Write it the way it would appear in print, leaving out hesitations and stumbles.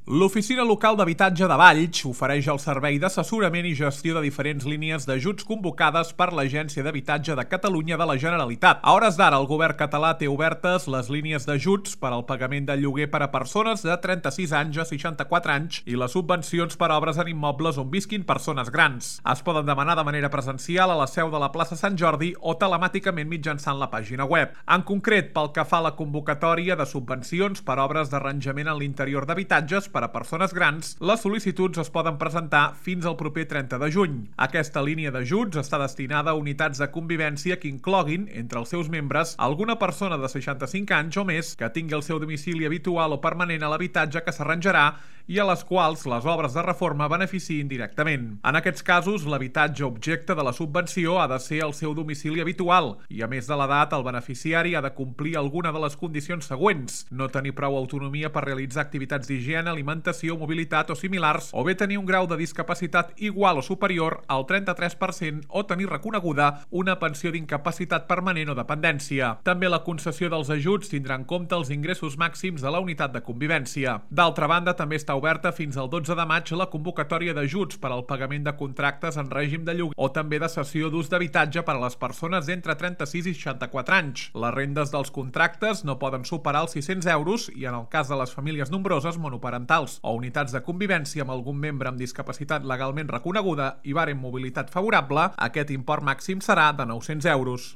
L'Oficina Local d'Habitatge de Valls ofereix el servei d'assessorament i gestió de diferents línies d'ajuts convocades per l'Agència d'Habitatge de Catalunya de la Generalitat. A hores d'ara, el govern català té obertes les línies d'ajuts per al pagament del lloguer per a persones de 36 anys a 64 anys i les subvencions per a obres en immobles on visquin persones grans. Es poden demanar de manera presencial a la seu de la plaça Sant Jordi o telemàticament mitjançant la pàgina web. En concret, pel que fa a la convocatòria de subvencions per obres d'arranjament en l'interior d'habitatges per a persones grans, les sol·licituds es poden presentar fins al proper 30 de juny. Aquesta línia d'ajuts està destinada a unitats de convivència que incloguin, entre els seus membres, alguna persona de 65 anys o més que tingui el seu domicili habitual o permanent a l'habitatge que s'arranjarà i a les quals les obres de reforma beneficiïn directament. En aquests casos, l'habitatge objecte de la subvenció ha de ser el seu domicili habitual i, a més de l'edat, el beneficiari ha de complir alguna de les condicions següents: no tenir prou autonomia per realitzar activitats d'higiene, alimentació, mobilitat o similars, o bé tenir un grau de discapacitat igual o superior al 33% o tenir reconeguda una pensió d'incapacitat permanent o dependència. També la concessió dels ajuts tindrà en compte els ingressos màxims de la unitat de convivència. D'altra banda, també està oberta fins al 12 de maig la convocatòria d'ajuts per al pagament de contractes en règim de lloguer o també de cessió d'ús d'habitatge per a les persones d'entre 36 i 64 anys. Les rendes dels contractes no poden superar els 600 euros i, en el cas de les famílies nombroses monoparentals o unitats de convivència amb algun membre amb discapacitat legalment reconeguda i barem mobilitat favorable, aquest import màxim serà de 900 euros.